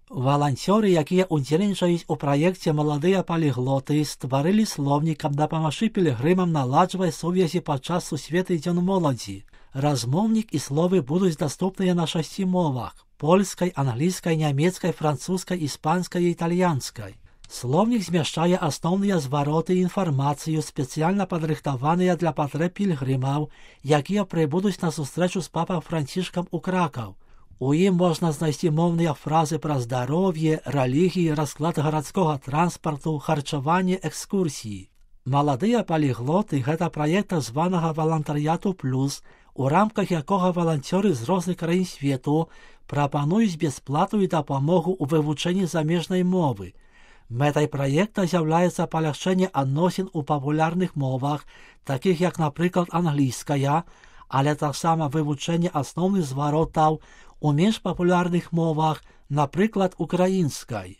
Валанцёры, якія ўдзельнічаюць у праекце «Маладыя паліглоты», стварылі слоўнік, каб дапамагчы пілігрымам наладжваць сувязі падчас Сусветны дзень моладзі. Размоўнік і словы будуць даступныя на 6 мовах: польскай, англійскай, нямецкай, французскай, іспанскай і італьянскай. Слоўнік змяшчае асноўныя звароты і інфармацыю, спецыяльна падрыхтаваныя для патрэб пілігрымаў, якія прыбудуць на сустрэчу з папам Францішкам у Кракаў. У ім можна знайсці моўныя фразы пра здароўе, рэлігіі, расклад гарадскога транспарту, харчаванне, экскурсіі. «Маладыя паліглоты» – гэта праект так званага «Валантарыяту плюс», у рамках якога валанцёры з розных краін свету прапануюць бясплатную дапамогу ў вывучэнні замежнай мовы. Мэтай праекта з'яўляецца палягчэнне адносін у папулярных мовах, такіх як, напрыклад, англійская, але таксама вывучэнне асноўных зваротаў у менш папулярных мовах, напрыклад, украінскай.